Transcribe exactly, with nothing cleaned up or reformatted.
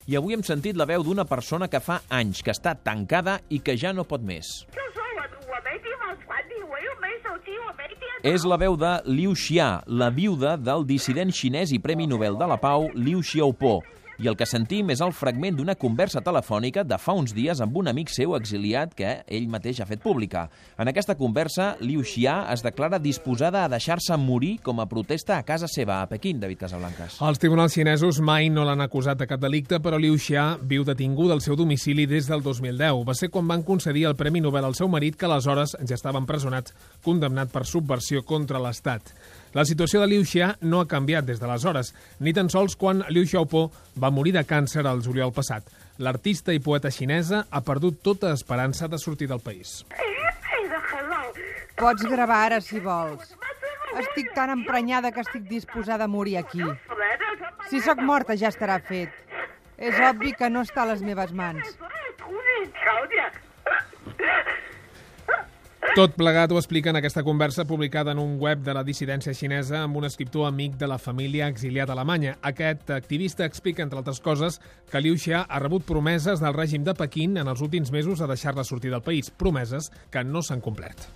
I avui hem sentit la veu d'una persona que fa anys que està tancada i que ja no pot més. És la veu de Liu Xia, la viuda del dissident xinès i Premi Nobel de la Pau Liu Xiaobo. I el que sentim és el fragment d'una conversa telefònica de fa uns dies amb un amic seu exiliat que ell mateix ha fet pública. En aquesta conversa, Liu Xia es declara disposada a deixar-se morir com a protesta a casa seva, a Pequín, David Casablancas. Els tribunals xinesos mai no l'han acusat de cap delicte, però Liu Xia viu detinguda al seu domicili des del dos mil deu. Va ser quan van concedir el Premi Nobel al seu marit, que aleshores ja estava empresonat, condemnat per subversió contra l'Estat. La situació de Liu Xia no ha canviat des d'aleshores, ni tan sols quan Liu Xiaobo va morir de càncer al juliol passat. L'artista i poeta xinesa ha perdut tota esperança de sortir del país. Pots gravar ara, si vols. Estic tan emprenyada que estic disposada a morir aquí. Si sóc morta ja estarà fet. És obvi que no està a les meves mans. Tot plegat ho explica en aquesta conversa publicada en un web de la dissidència xinesa amb un escriptor amic de la família exiliat a Alemanya. Aquest activista explica, entre altres coses, que Liu Xia ha rebut promeses del règim de Pequín en els últims mesos a deixar-la sortir del país, promeses que no s'han complert.